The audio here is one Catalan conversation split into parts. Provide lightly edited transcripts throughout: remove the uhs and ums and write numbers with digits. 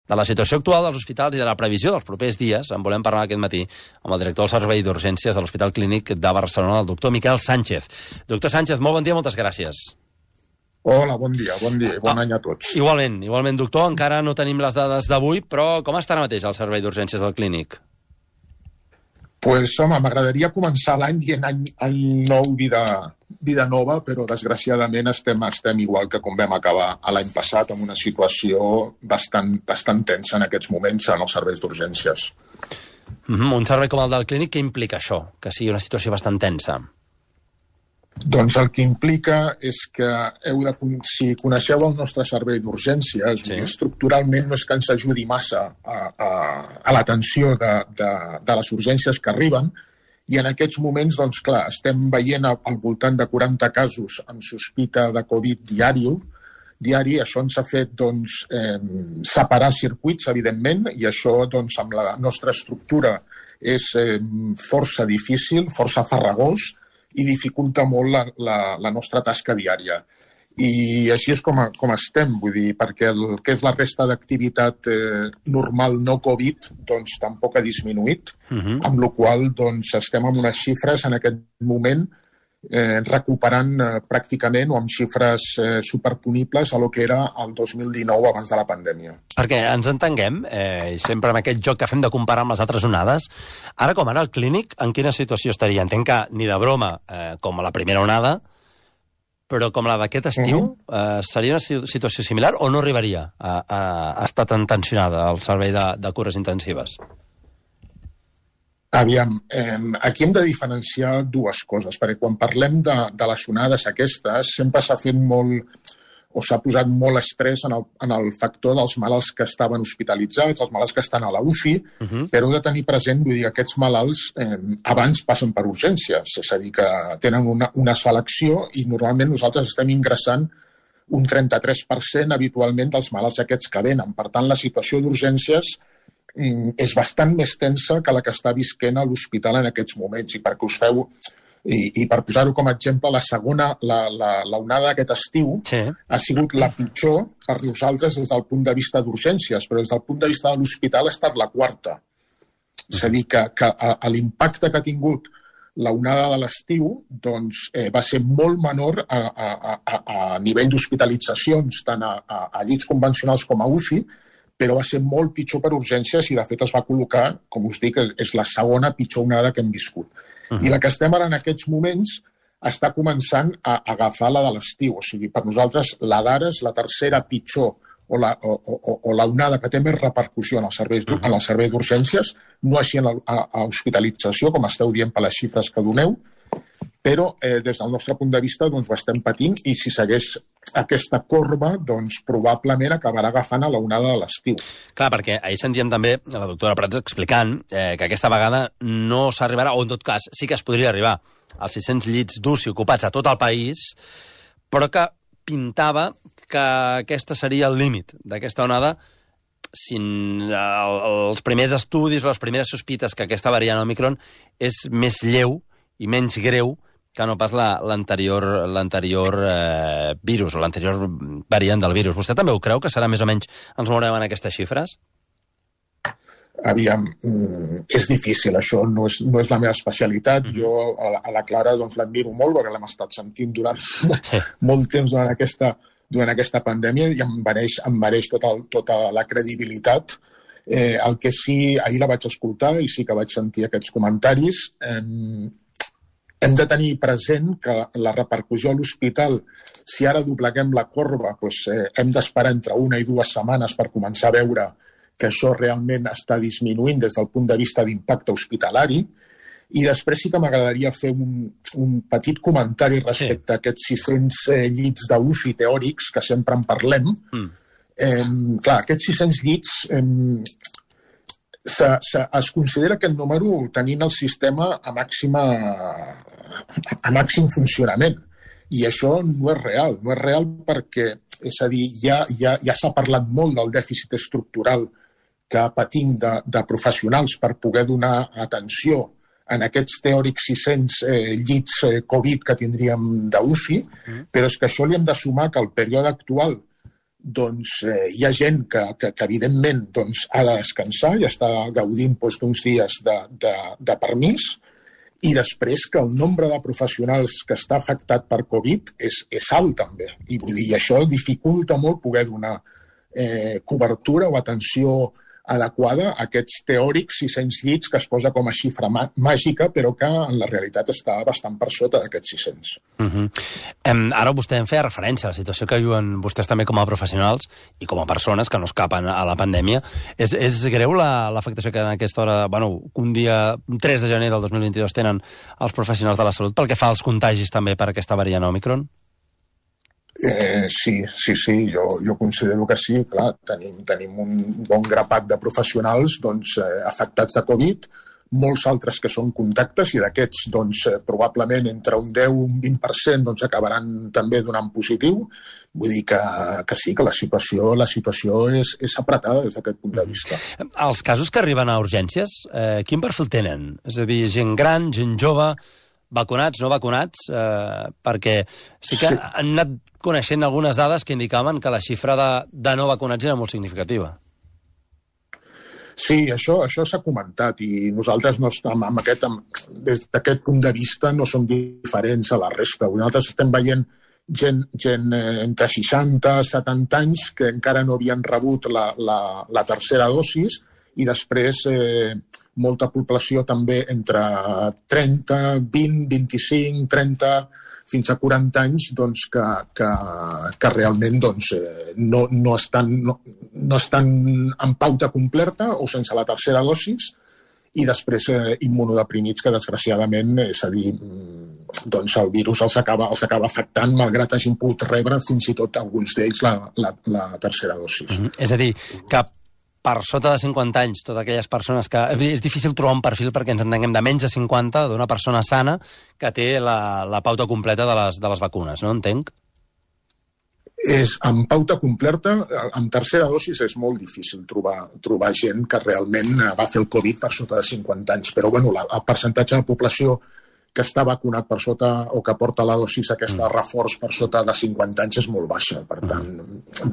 De la situació actual dels hospitals i de la previsió dels propers dies en volem parlar aquest matí amb el director del Servei d'Urgències de l'Hospital Clínic de Barcelona, el doctor Miquel Sánchez. Doctor Sánchez, molt bon dia, moltes gràcies. Hola, bon dia i bon any a tots. Igualment, doctor, encara no tenim les dades d'avui, però com està ara mateix el Servei d'Urgències del Clínic? Pues, home, m'agradaria començar l'any dient any nou, vida nova, però desgraciadament estem igual que com vam acabar l'any passat, amb una situació bastant tensa en aquests moments en els serveis d'urgències. Un servei com el del Clínic, què implica això? Que sigui una situació bastant tensa? Doncs el que implica és que si coneixeu el nostre servei d'urgències, sí, estructuralment no és que ens ajudi massa a l'atenció de les urgències que arriben, i en aquests moments, doncs clar, estem veient al voltant de 40 casos amb sospita de Covid diari. Això ens ha fet separar circuits, evidentment, i això amb la nostra estructura és força difícil, força farragós, i dificulta molt la nostra tasca diària. I així és com estem, vull dir, perquè el que és la resta d'activitat normal no Covid, doncs tampoc ha disminuït, amb la qual cosa estem amb unes xifres en aquest moment recuperant pràcticament o amb xifres superponibles a lo que era el 2019 abans de la pandèmia. Perquè ens entenguem, sempre amb aquest joc que fem de comparar amb les altres onades, ara com ara el Clínic, en quina situació estaria? Entenc que ni de broma com a la primera onada, però com la d'aquest estiu, seria una situació similar o no arribaria a estar tan tensionada el servei de cures intensives? Aviam, aquí hem de diferenciar dues coses, perquè quan parlem de les onades aquestes, sempre s'ha fet molt, o s'ha posat molt estrès en el factor dels malalts que estaven hospitalitzats, els malalts que estan a la UCI, però heu de tenir present, vull dir, aquests malalts abans passen per urgències, és a dir, que tenen una selecció i normalment nosaltres estem ingressant un 33% habitualment dels malalts aquests que venen. Per tant, la situació d'urgències és bastant més tensa que la que està visquent a l'hospital en aquests moments. I perquè us feu, i per posar-ho com a exemple, la onada d'aquest estiu ha sigut la pitjor per nosaltres des del punt de vista d'urgències, però des del punt de vista de l'hospital ha estat la quarta. És a dir, que l'impacte que ha tingut la onada de l'estiu va ser molt menor a nivell d'hospitalitzacions, tant a llits convencionals com a UCI, però va ser molt pitjor per urgències i, de fet, es va col·locar, com us dic, és la segona pitjor onada que hem viscut. I la que estem ara en aquests moments està començant a agafar la de l'estiu. O sigui, per nosaltres, la d'ara és la tercera pitjor o la onada que té més repercussió en el servei d'urgències, no així en l'hospitalització, com esteu dient per les xifres que doneu, però des del nostre punt de vista ho estem patint i si segueix aquesta corba probablement acabarà agafant a la onada de l'estiu. Clar, perquè ahir sentíem també la doctora Prats explicant que aquesta vegada no s'arribarà, o en tot cas sí que es podria arribar als 600 llits d'UCI ocupats a tot el país, però que pintava que aquesta seria el límit d'aquesta onada si els primers estudis o les primeres sospites que aquesta variant Omicron és més lleu i menys greu que no pas l'anterior virus o l'anterior variant del virus. Vostè també ho creu, que serà més o menys, ens mourem en aquestes xifres? Aviam, és difícil, això no és la meva especialitat. Jo a la Clara l'admiro molt, perquè l'hem estat sentint durant molt temps durant aquesta pandèmia i em mereix tota la credibilitat. El que sí, ahir la vaig escoltar i sí que vaig sentir aquests comentaris. Hem de tenir present que la repercussió a l'hospital, si ara dobleguem la corba, hem d'esperar entre 1 i 2 setmanes per començar a veure que això realment està disminuint des del punt de vista d'impacte hospitalari. I després sí que m'agradaria fer un petit comentari respecte a aquests 600 llits d'UCI teòrics que sempre en parlem. Clar, aquests 600 llits es considera aquest número tenint el sistema a màxim funcionament. I això no és real perquè, és a dir, ja s'ha parlat molt del dèficit estructural que patim de professionals per poder donar atenció en aquests teòrics 600 llits Covid que tindríem d'UCI, però és que això li hem de sumar que el període actual doncs hi ha gent que evidentment ha de descansar i està gaudint d'uns dies de permís, i després que el nombre de professionals que està afectat per Covid és alt també. I vull dir, això dificulta molt poder donar cobertura o atenció adequada a aquests teòrics 600 llits que es posa com a xifra màgica, però que en la realitat està bastant per sota d'aquests 600. Ara vostè em feia referència a la situació que viuen vostès també com a professionals i com a persones que no escapen a la pandèmia. És greu l'afectació que en aquesta hora, un dia 3 de gener del 2022 tenen els professionals de la salut pel que fa als contagis també per aquesta variant Òmicron? Sí, jo considero que sí. Clar, tenim un bon grapat de professionals afectats de Covid, molts altres que són contactes, i d'aquests probablement entre un 10 i un 20% acabaran també donant positiu. Vull dir que sí, que la situació és apretada des d'aquest punt de vista. Els casos que arriben a urgències, quin perfil tenen? És a dir, gent gran, gent jove, vacunats, no vacunats? Perquè sí que han anat coneixent algunes dades que indicaven que la xifra de no vacunats era molt significativa. Sí, això s'ha comentat, i nosaltres des d'aquest punt de vista no som diferents a la resta. Nosaltres estem veient gent entre 60 i 70 anys que encara no havien rebut la tercera dosis, i després molta població també entre 30, 20, 25, 30, fins a 40 anys que realment no estan en pauta completa o sense la tercera dosis, i després immunodeprimits que desgraciadament, és a dir, el virus els acaba afectant malgrat hagin pogut rebre fins i tot alguns d'ells la tercera dosis. És a dir, que per sota de 50 anys, totes aquelles persones que... És difícil trobar un perfil perquè ens entenguem de menys de 50, d'una persona sana que té la pauta completa de les vacunes, no? Entenc? Amb pauta completa, amb tercera dosis, és molt difícil trobar gent que realment va fer el Covid per sota de 50 anys. Però el percentatge de població que està vacunat per sota, o que porta la dosis aquesta reforç per sota de 50 anys, és molt baixa. Per tant,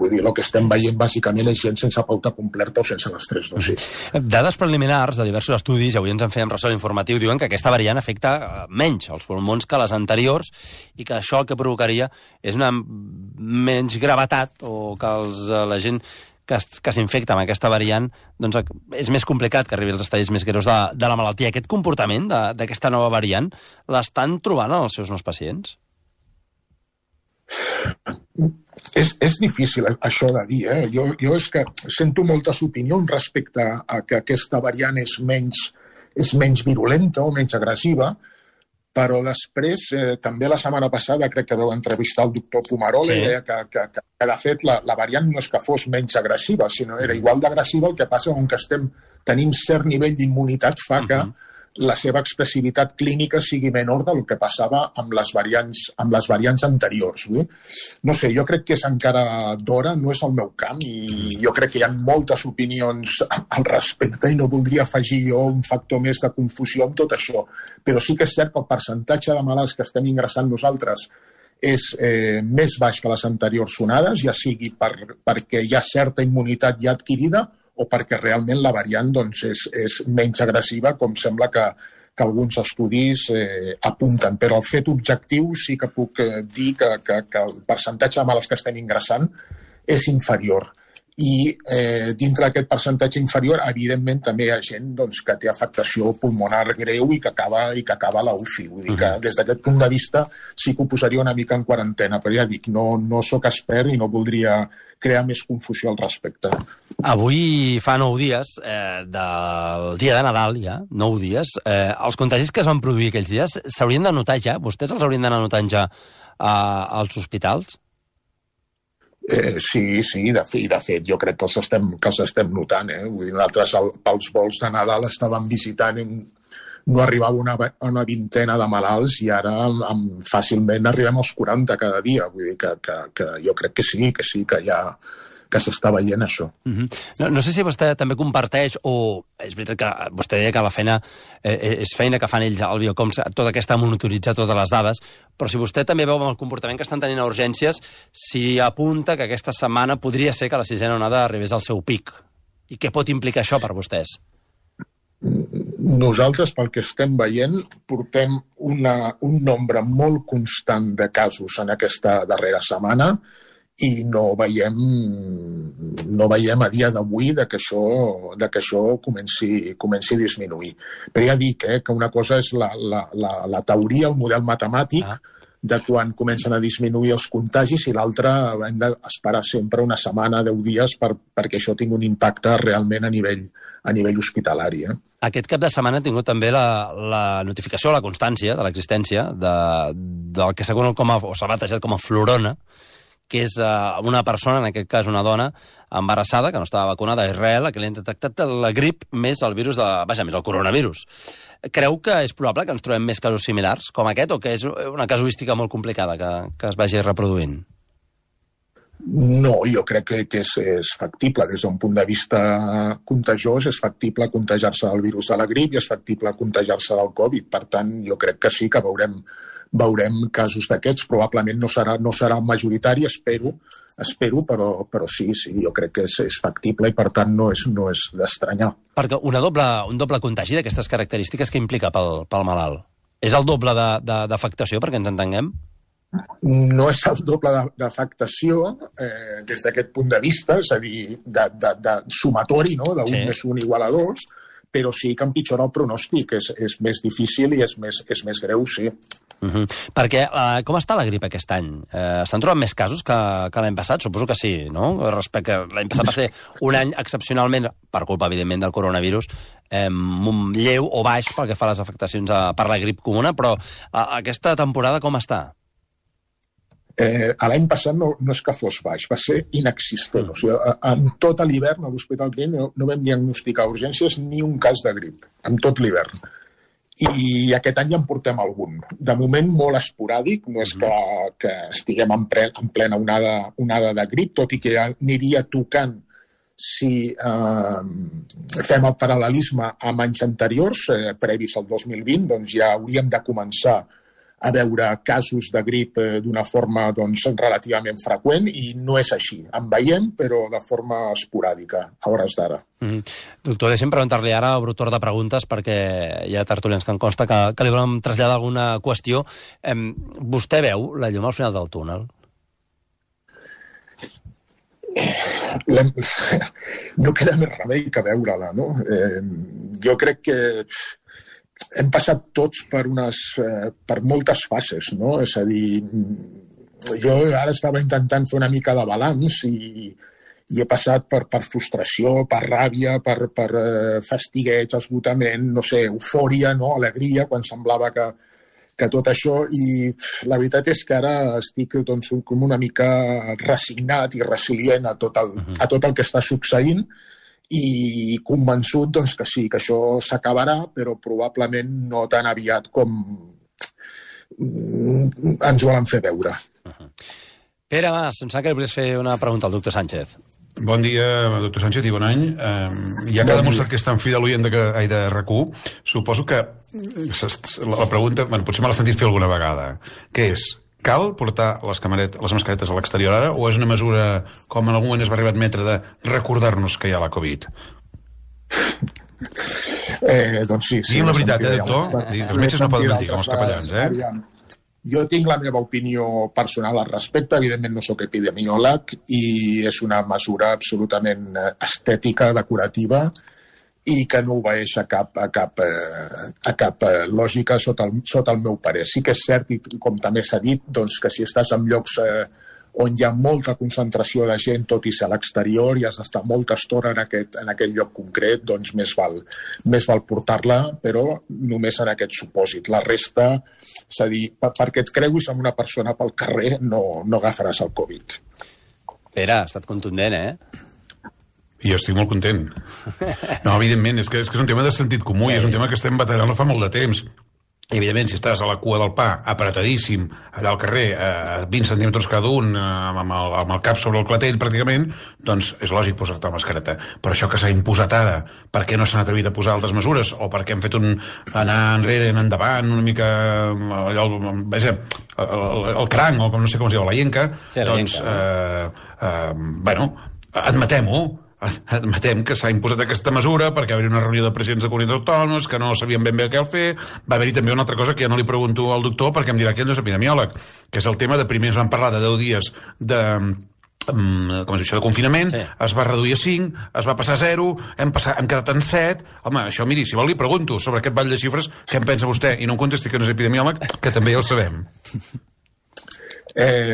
vull dir, el que estem veient bàsicament és gent sense pauta completa o sense les 3 dosis. Dades preliminars de diversos estudis, i avui ens en fèiem ressò informatiu, diuen que aquesta variant afecta menys els pulmons que les anteriors, i que això el que provocaria és una menys gravetat, o que la gent que s'infecta amb aquesta variant, és més complicat que arribi als estadis més greus de la malaltia. Aquest comportament d'aquesta nova variant l'estan trobant en els seus nous pacients? És difícil això de dir, Jo és que sento moltes opinions respecte a que aquesta variant és menys virulenta o menys agressiva, però després, també la setmana passada, crec que vau entrevistar el doctor Pomerol, i deia que de fet la variant no és que fos menys agressiva, sinó era igual d'agressiva. El que passa que tenim cert nivell d'immunitat fa que la seva expressivitat clínica sigui menor del que passava amb les variants anteriors. No sé, jo crec que és encara d'hora, no és el meu camp, i jo crec que hi ha moltes opinions al respecte i no voldria afegir jo un factor més de confusió amb tot això. Però sí que és cert que el percentatge de malalts que estem ingressant nosaltres és més baix que les anteriors onades, ja sigui perquè hi ha certa immunitat ja adquirida o perquè realment la variant és menys agressiva, com sembla que alguns estudis apunten. Però el fet objectiu sí que puc dir que el percentatge de malalts que estem ingressant és inferior. I dintre d'aquest percentatge inferior, evidentment, també hi ha gent que té afectació pulmonar greu i que acaba a la UCI. Vull dir que des d'aquest punt de vista sí que ho posaria una mica en quarantena, però ja dic, no sóc expert i no voldria crear més confusió al respecte. Avui fa 9 dies, del dia de Nadal ja, 9 dies, els contagis que es van produir aquells dies s'haurien de notar ja? Vostès els haurien d'anar notant ja als hospitals? Sí, de fet, jo crec que els estem notant. Vull dir, nosaltres pels vols de Nadal estàvem visitant, no arribava una vintena de malalts, i ara fàcilment arribem als 40 cada dia. Vull dir que jo crec que sí, que s'està veient això. No sé si vostè també comparteix, o és veritat que vostè deia que la feina és feina que fan ells al Biocoms, tota aquesta monitoritzar totes les dades, però si vostè també veu amb el comportament que estan tenint a urgències, si apunta que aquesta setmana podria ser que la sisena onada arribés al seu pic. I què pot implicar això per vostès? Nosaltres, pel que estem veient, portem un nombre molt constant de casos en aquesta darrera setmana i no veiem a dia d'avui que això comenci a disminuir. Però ja dic que una cosa és la teoria, el model matemàtic, de quan comencen a disminuir els contagis, i l'altra hem d'esperar sempre una setmana, 10 dies, perquè això tingui un impacte realment a nivell hospitalari. Aquest cap de setmana ha tingut també la notificació, la constància de l'existència del que s'ha conegut o s'ha batejat com a florona, que és una persona, en aquest cas una dona, embarassada, que no estava vacunada a Israel, a qui li han detectat la grip més el virus més el coronavirus. Creu que és probable que ens trobem més casos similars com aquest, o que és una casuística molt complicada que es vagi reproduint? No, jo crec que és factible. Des d'un punt de vista contagiós, és factible contagiar-se del virus de la grip i és factible contagiar-se del Covid. Per tant, jo crec que sí que veurem casos d'aquests. Probablement no serà majoritari, espero, però sí, jo crec que és factible i, per tant, no és d'estranyar. Perquè un doble contagi d'aquestes característiques que implica pel malalt? És el doble d'afectació, perquè ens entenguem? No és el doble d'afectació des d'aquest punt de vista, és a dir, de sumatori, no? d'un més un igual a 2, però sí que empitjora el pronòstic, és més difícil i és més greu, sí. Perquè com està la grip aquest any? Estan trobant més casos que l'any passat? Suposo que sí, no? Respecte a l'any passat va ser un any excepcionalment, per culpa, evidentment, del coronavirus, lleu o baix pel que fa a les afectacions per la grip comuna, però aquesta temporada com està? L'any passat no és que fos baix, va ser inexistent. O sigui, en tot l'hivern a l'Hospital Clínic no vam diagnosticar urgències ni un cas de grip, en tot l'hivern. I aquest any ja en portem algun. De moment molt esporàdic, no és que estiguem en plena onada de grip, tot i que ja aniria tocant si fem el paral·lelisme amb anys anteriors, previs al 2020, doncs ja hauríem de començar a veure casos de grip d'una forma relativament freqüent, i no és així. En veiem, però de forma esporàdica, a hores d'ara. Doctor, deixem preguntar-li ara, obro torn de preguntes, perquè hi ha tertulians que em consta que li volem traslladar alguna qüestió. Vostè veu la llum al final del túnel? No queda més remei que veure-la, no? Jo crec que hem passat tots per moltes fases, no? És a dir, jo ara estava intentant fer una mica de balanç i he passat per frustració, per ràbia, per fastigueig, esgotament, no sé, eufòria, no? Alegria, quan semblava que tot això, i la veritat és que ara estic com una mica resignat i resilient a tot el que està succeint, i convençut que sí, que això s'acabarà, però probablement no tan aviat com ens volen fer veure. Pere Mas, em sembla que li volies fer una pregunta al doctor Sánchez. Bon dia, doctor Sánchez, i bon any. Ja que ha demostrat que és tan fi de l'oient de RAC1, suposo que la pregunta, potser me l'ha sentit fer alguna vegada, que és: cal portar les mascaretes a l'exterior ara, o és una mesura, com en algun moment es va arribar a admetre, de recordar-nos que hi ha la Covid? Doncs sí. Digui'm la veritat, doctor? Els metges no poden mentir, com els capellans, Jo tinc la meva opinió personal al respecte. Evidentment no sóc epidemiòleg i és una mesura absolutament estètica, decorativa, i que no obeeix a cap lògica sota el meu parer. Sí que és cert, i com també s'ha dit, que si estàs en llocs on hi ha molta concentració de gent, tot i ser a l'exterior, i has d'estar molta estona en aquest lloc concret, doncs més val portar-la, però només en aquest supòsit. La resta, és a dir, perquè et creuis amb una persona pel carrer, no agafaràs el Covid. Pere, ha estat contundent, Jo estic molt content. No, evidentment, és que és un tema de sentit comú i és un tema que estem batallant no fa molt de temps. I, evidentment, si estàs a la cua del pa, apretadíssim, allà al carrer, a 20 centímetres cada un, amb el cap sobre el clatell, pràcticament, doncs és lògic posar-te la mascareta. Però això que s'ha imposat ara, per què no s'han atrevit a posar altres mesures? O per què hem fet anar enrere, anar endavant, una mica el cranc, o no sé com es diu, la llenca, sí, doncs, admetem-ho. Admetem que s'ha imposat aquesta mesura perquè va haver una reunió de presidents de comunitats autònomes que no sabien ben bé què fer. Va haver-hi també una altra cosa que ja no li pregunto al doctor perquè em dirà que ell no és epidemiòleg, que és el tema de primer ens van parlar de 10 dies de confinament, sí. Es va reduir a 5, es va passar a 0, hem quedat en 7. Home, això, miri, si vol li pregunto sobre aquest ball de xifres, què en pensa vostè? I no em contesti que no és epidemiòleg, que també ja ho sabem.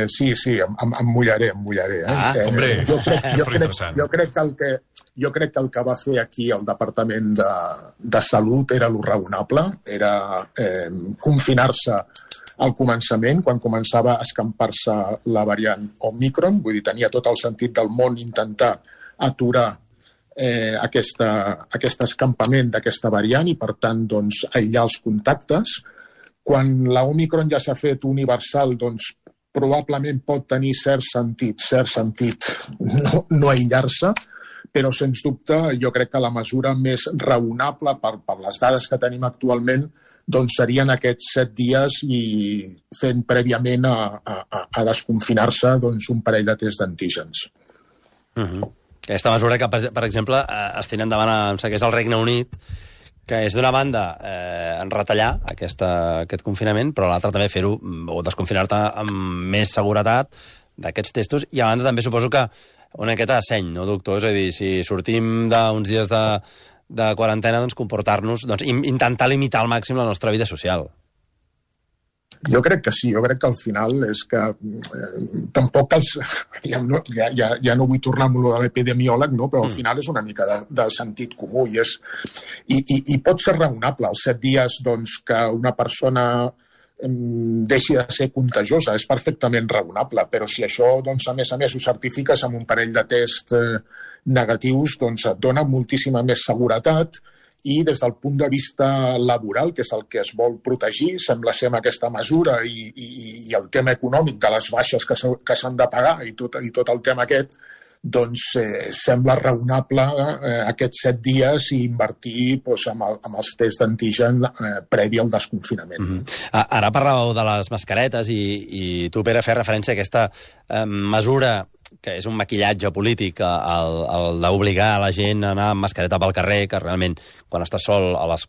Sí, em mullaré. Hombre, jo crec que el que va fer aquí el Departament de Salut era lo raonable, era confinar-se al començament, quan començava a escampar-se la variant Omicron, vull dir, tenia tot el sentit del món intentar aturar aquest escampament d'aquesta variant i, per tant, doncs, aïllar els contactes. Quan la Omicron ja s'ha fet universal, doncs, probablement pot tenir cert sentit no aïllar-se, però sens dubte jo crec que la mesura més raonable per les dades que tenim actualment doncs serien aquests 7 dies i fent prèviament a desconfinar-se doncs, un parell de tests d'antígens. Aquesta mesura que, per exemple, es tenen endavant que és el Regne Unit, que és d'una banda retallar aquest confinament, però l'altra també fer-ho o desconfinar-te amb més seguretat d'aquests testos, i a banda també suposo que una miqueta de seny, no, doctor? És a dir, si sortim d'uns dies de quarantena, doncs comportar-nos, doncs intentar limitar al màxim la nostra vida social. Jo crec que sí, jo crec que al final és que tampoc ja no vull tornar amb lo de l'epidemiòleg, no? Però al final és una mica de sentit comú i pot ser raonable els 7 dies doncs, que una persona deixi de ser contagiosa, és perfectament raonable, però si això doncs, a més ho certifiques amb un parell de tests negatius, doncs et dona moltíssima més seguretat. I des del punt de vista laboral, que és el que es vol protegir, sembla ser amb aquesta mesura i el tema econòmic de les baixes que s'han de pagar i tot el tema aquest, doncs sembla raonable aquests 7 dies i invertir doncs, amb els tests d'antigen previ al desconfinament. Ara parlàveu de les mascaretes i tu, Pere, fes referència a aquesta mesura que és un maquillatge polític, el d'obligar a la gent a anar amb mascareta pel carrer, que realment, quan estàs sol a les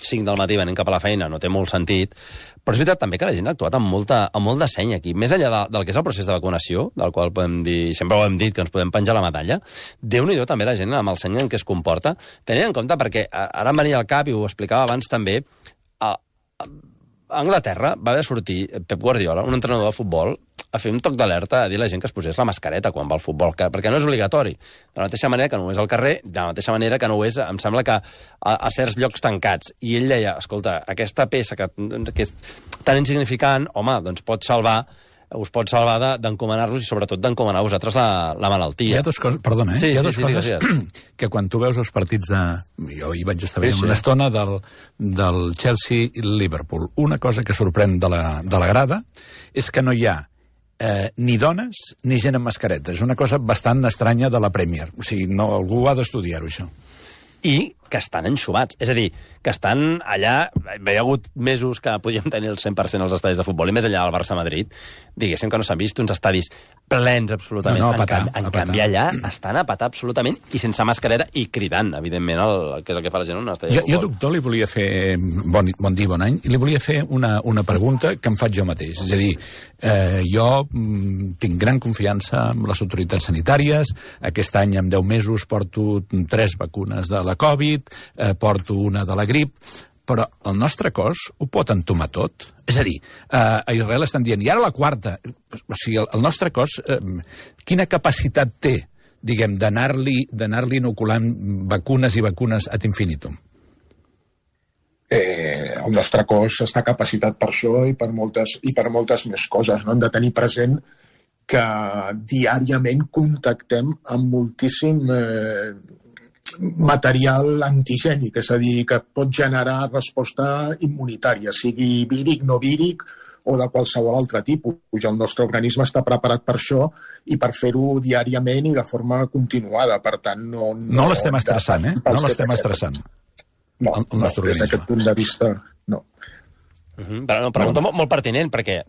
5 del matí venint cap a la feina, no té molt sentit. Però és veritat també que la gent ha actuat amb molt de seny aquí. Més enllà del que és el procés de vacunació, del qual podem dir, sempre ho hem dit, que ens podem penjar la medalla, Déu-n'hi-do també la gent amb el seny en què es comporta, tenint en compte, perquè ara em venia al cap, i ho explicava abans també, a Anglaterra va haver de sortir Pep Guardiola, un entrenador de futbol, a fer un toc d'alerta a dir a la gent que es posés la mascareta quan va al futbol, perquè no és obligatori. De la mateixa manera que no ho és al carrer, de la mateixa manera que no ho és, em sembla que a certs llocs tancats. I ell deia, escolta, aquesta peça que és tan insignificant, home, doncs us pot salvar d'encomanar-los i sobretot d'encomanar a vosaltres la malaltia. Hi ha dues coses, perdona, sí, hi ha dues coses digues. Que quan tu veus els partits jo hi vaig estar veient una estona del Chelsea i Liverpool. Una cosa que sorprèn de la grada és que no hi ha ni dones ni gent amb mascareta. És una cosa bastant estranya de la Premier. O sigui, algú ha d'estudiar-ho, això. I que estan enxumats. És a dir, que estan allà... Hi ha hagut mesos que podíem tenir el 100% als estadis de futbol, i més enllà del Barça-Madrid, diguéssim que no s'han vist uns estadis plens absolutament. En canvi, allà estan a petar absolutament i sense mascareta i cridant, evidentment, que és el que fa la gent en un estadi de futbol. Jo, doctor, li volia fer... Bon dia, bon any. I li volia fer una pregunta que em faig jo mateix. És a dir, jo tinc gran confiança en les autoritats sanitàries. Aquest any, en 10 mesos, porto 3 vacunes de la Covid, porto una de la grip, però el nostre cos ho pot entomar tot. És a dir, a Israel estan dient, i ara la 4. O sigui, el nostre cos, quina capacitat té, diguem, d'anar-li inoculant vacunes i vacunes ad infinitum? El nostre cos està capacitat per això i per moltes més coses. No? Hem de tenir present que diàriament contactem amb moltíssim material antigènic, és a dir, que pot generar resposta immunitària, sigui víric, no víric o de qualsevol altre tipus. El nostre organisme està preparat per això i per fer-ho diàriament i de forma continuada. Per tant, no l'estem estressant, No l'estem estressant. No, des d'aquest punt de vista, no. Però una pregunta molt pertinent, perquè...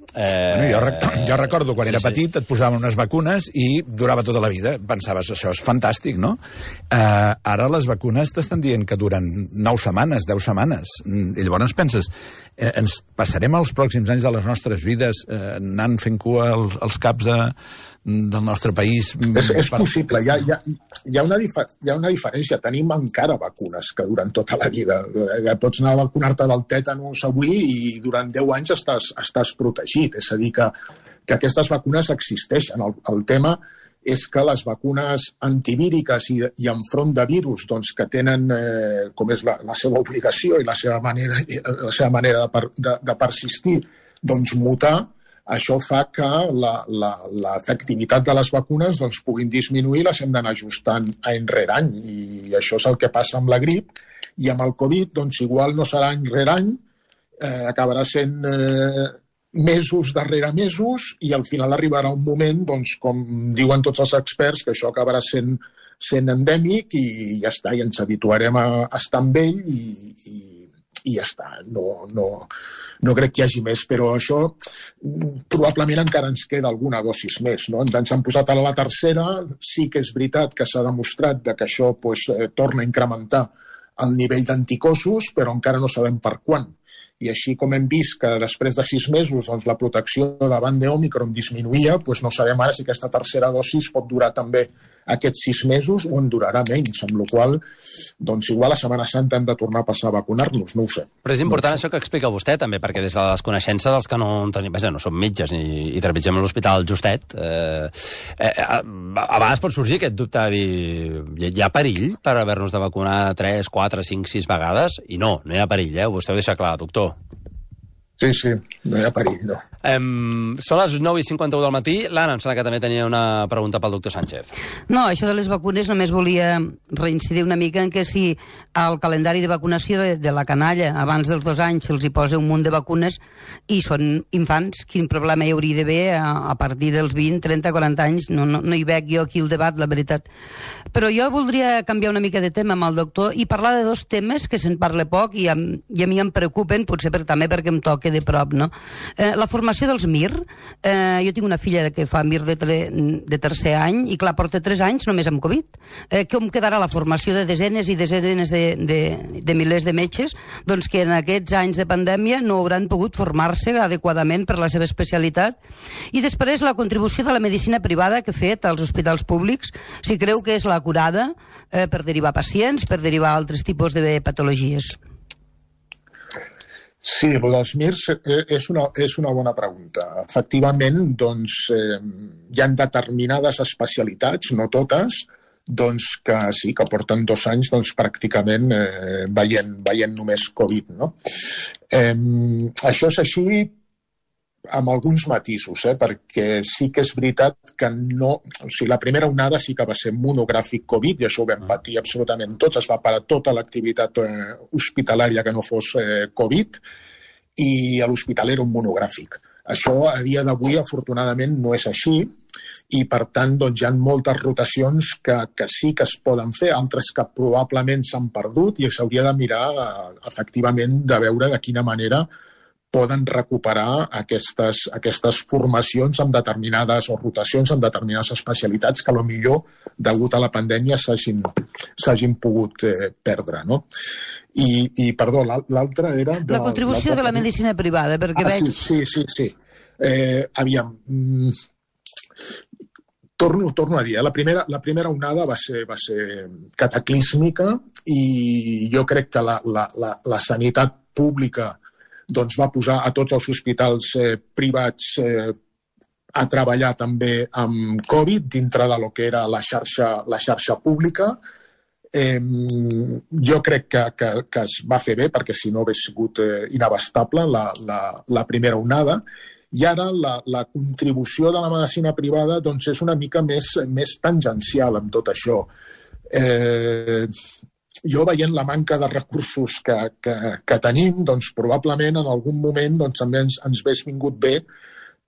Jo recordo quan era petit et posaven unes vacunes i durava tota la vida. Pensaves, això és fantàstic, no? Ara les vacunes t'estan dient que duren 9 setmanes, 10 setmanes. I llavors penses, ens passarem els pròxims anys de les nostres vides anant fent cua als caps del nostre país? És possible. Hi ha una diferència. Tenim encara vacunes que duren tota la vida. Pots anar a vacunar-te del tètanus avui i durant 10 anys estàs protegit. És a dir, que aquestes vacunes existeixen. El tema és que les vacunes antivíriques i enfront de virus que tenen, com és la seva obligació i la seva manera de persistir, mutar, això fa que l'efectivitat de les vacunes puguin disminuir, les hem d'anar ajustant any rere any, i això és el que passa amb la grip, i amb el Covid, igual no serà any rere any, acabarà sent mesos darrere mesos, i al final arribarà un moment, com diuen tots els experts, que això acabarà sent endèmic i ja està, i ens habituarem a estar amb ell i ja està. No crec que hi hagi més, però això probablement encara ens queda alguna dosis més, no? Ens han posat a la tercera, sí que és veritat que s'ha demostrat que això torna a incrementar el nivell d'anticossos, però encara no sabem per quan. I així com hem vist que després de 6 mesos la protecció davant d'Òmicron disminuïa, no sabem ara si aquesta tercera dosis pot durar també aquests 6 mesos o en durarà menys, amb la qual cosa, igual a Setmana Santa hem de tornar a passar a vacunar-nos, no ho sé. Però és important això que explica vostè, també, perquè des de la desconeixença dels que no tenim, no som metges i treballem a l'Hospital Justet, a vegades pot sorgir aquest dubte de dir, hi ha perill per haver-nos de vacunar 3, 4, 5, 6 vegades? I no hi ha perill, vostè ho deixa clar, doctor. Sí, no hi ha perill, no. Són les 9:51 del matí. L'Anna, em sembla que també tenia una pregunta pel doctor Sánchez. No, això de les vacunes només volia reincidir una mica en que si al calendari de vacunació de la canalla abans dels 2 anys se'ls hi posa un munt de vacunes i són infants, quin problema hi hauria d'haver a partir dels 20, 30, 40 anys? No hi veig jo aquí el debat, la veritat. Però jo voldria canviar una mica de tema amb el doctor i parlar de 2 temes que se'n parla poc i a mi em preocupen, potser també perquè em toca de prop, no? La formació dels MIR. Jo tinc una filla que fa MIR de tercer any i, clar, porta 3 anys només amb Covid. Com quedarà la formació de desenes i desenes de milers de metges que en aquests anys de pandèmia no hauran pogut formar-se adequadament per la seva especialitat? I després la contribució de la medicina privada que ha fet als hospitals públics, si creu que és l'acurada per derivar pacients, per derivar altres tipus de patologies. Sí, el dels MIRs és una bona pregunta. Efectivament, hi ha determinades especialitats, no totes, que sí, que porten 2 anys pràcticament veient només Covid, no? Això és així amb alguns matisos, perquè sí que és veritat que la primera onada sí que va ser monogràfic Covid, i això ho vam patir absolutament tots, es va parar tota l'activitat hospitalària que no fos Covid, i a l'hospital era un monogràfic. Això a dia d'avui, afortunadament, no és així, i per tant hi ha moltes rotacions que sí que es poden fer, altres que probablement s'han perdut, i s'hauria de mirar efectivament de veure de quina manera poden recuperar aquestes formacions amb determinades o rotacions amb determinades especialitats que potser degut a la pandèmia s'hagin pogut perdre, no? I perdó, l'altra era... La contribució de la medicina privada, perquè veig... Sí. Aviam, torno a dir, la primera onada va ser cataclísmica, i jo crec que la sanitat pública va posar a tots els hospitals privats a treballar també amb Covid dintre de lo que era la xarxa pública. Jo crec que es va fer bé, perquè si no hauria sigut inabastable la primera onada, i ara la contribució de la medicina privada és una mica més tangencial amb tot això. Jo, veient la manca de recursos que tenim, doncs probablement en algun moment doncs, també ens hagués vingut bé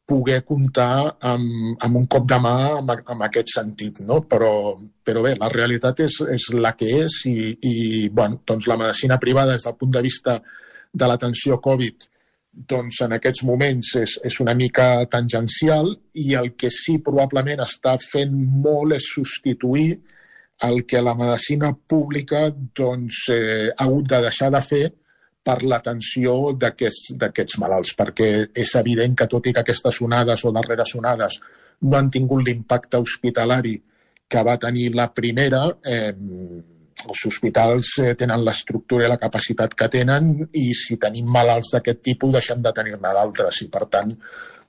poder comptar amb un cop de mà en aquest sentit, no? Però bé, la realitat és la que és i bueno, doncs la medicina privada des del punt de vista de l'atenció Covid doncs en aquests moments és una mica tangencial i el que sí probablement està fent molt és substituir el que la medicina pública doncs, ha hagut de deixar de fer per l'atenció d'aquests malalts, perquè és evident que tot i que aquestes onades o darreres onades no han tingut l'impacte hospitalari que va tenir la primera, els hospitals tenen l'estructura i la capacitat que tenen i si tenim malalts d'aquest tipus deixem de tenir-ne d'altres i per tant,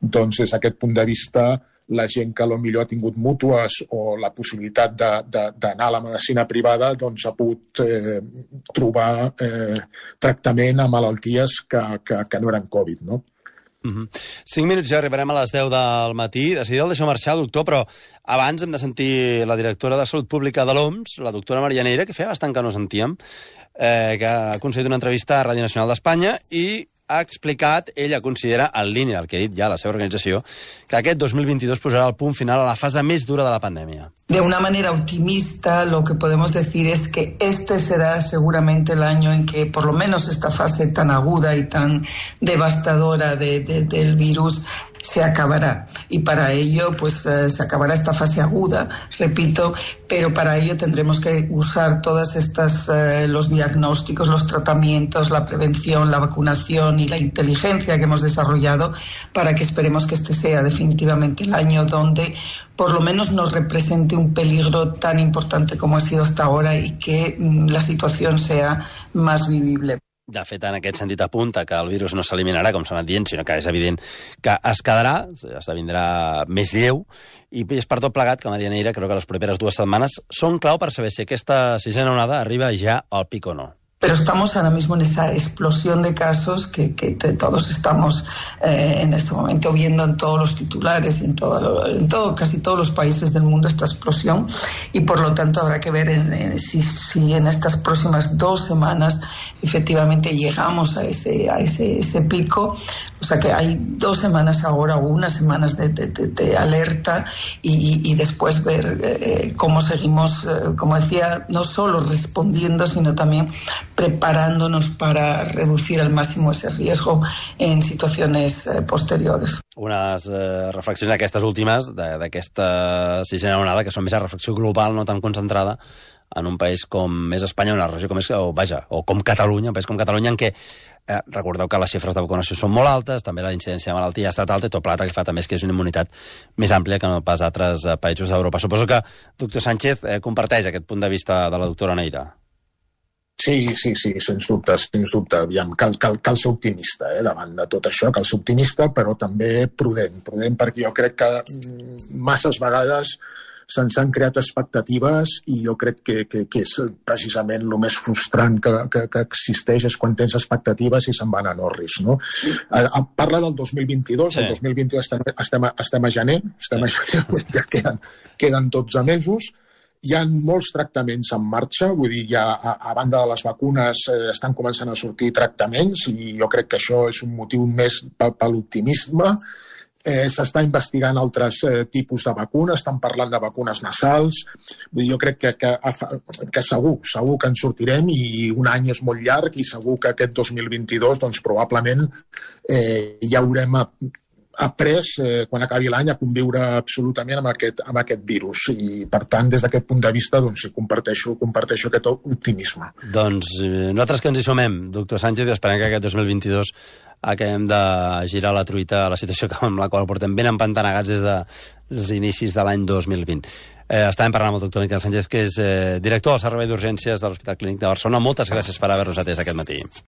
doncs, des d'aquest punt de vista la gent que potser ha tingut mútues o la possibilitat d'anar a la medicina privada doncs ha pogut trobar tractament a malalties que no eren Covid, no? 5 minuts ja arribarem a les 10 del matí. De seguida el deixo marxar, doctor, però abans hem de sentir la directora de Salut Pública de l'OMS, la doctora Maria Neira, que feia bastant que no sentíem, que ha concedit una entrevista a Ràdio Nacional d'Espanya i ha explicat, ella considera, en línia del que ha dit ja la seva organització, que aquest 2022 posarà el punt final a la fase més dura de la pandèmia. De una manera optimista, lo que podemos decir es que este será seguramente el año en que por lo menos esta fase tan aguda y tan devastadora del virus se acabará. Y para ello, pues se acabará esta fase aguda, repito, pero para ello tendremos que usar todas estas, los diagnósticos, los tratamientos, la prevención, la vacunación y la inteligencia que hemos desarrollado para que esperemos que este sea definitivamente el año donde por lo menos nos represente un peligro tan importante como ha sido hasta ahora y que la situación sea más vivible. De fet, en aquest sentit apunta que el virus no s'eliminarà, com s'ha anat dient, sinó que és evident que es quedarà, esdevindrà més lleu, i és per tot plegat que Maria Neira creu que les properes 2 setmanes són clau per saber si aquesta sisena onada arriba ja al pic o no. Pero estamos ahora mismo en esa explosión de casos que todos estamos en este momento viendo en todos los titulares y casi todos los países del mundo esta explosión y por lo tanto habrá que ver si en estas próximas 2 semanas efectivamente llegamos a ese pico. O sea que hay 2 semanas ahora o unas semanas de alerta y después ver cómo seguimos, como decía, no solo respondiendo sino también preparándonos para reducir al máximo ese riesgo en situaciones posteriores. Unes reflexions aquestes últimes d'aquesta sisena onada que són més a reflexió global, no tan concentrada en un país com és Espanya, una regió com és, o com Catalunya, un país com Catalunya en què recordeu que les xifres de vacunació són molt altes, també la incidència de malaltia ha estat alta i tot plegat que fa també és que és una immunitat més àmplia que no pas altres països d'Europa. Suposo que, doctor Sánchez, comparteix aquest punt de vista de la doctora Neira. Sí, sens dubte. Aviam, cal ser optimista davant de tot això, cal ser optimista, però també prudent, perquè jo crec que masses vegades se'ns han creat expectatives i jo crec que és precisament el més frustrant que existeix és quan tens expectatives i se'n van a Norris, no? Parla del 2022, el 2022 estem a gener, ja queden 12 mesos. Hi ha molts tractaments en marxa, vull dir, ja a banda de les vacunes estan començant a sortir tractaments i jo crec que això és un motiu més per l'optimisme. S'està investigant altres tipus de vacunes, estan parlant de vacunes nasals. Vull dir, jo crec que segur que en sortirem i un any és molt llarg i segur que aquest 2022 doncs, probablement ja haurem après, quan acabi l'any, a conviure absolutament amb aquest virus. I, per tant, des d'aquest punt de vista, doncs, comparteixo aquest optimisme. Doncs nosaltres que ens hi sumem, doctor Sánchez, i esperem que aquest 2022 acabem de girar la truita a la situació amb la qual portem ben empantanegats des dels inicis de l'any 2020. Estàvem parlant amb el doctor Miquel Sánchez, que és director del Servei d'Urgències de l'Hospital Clínic de Barcelona. Moltes gràcies per haver-nos atès aquest matí.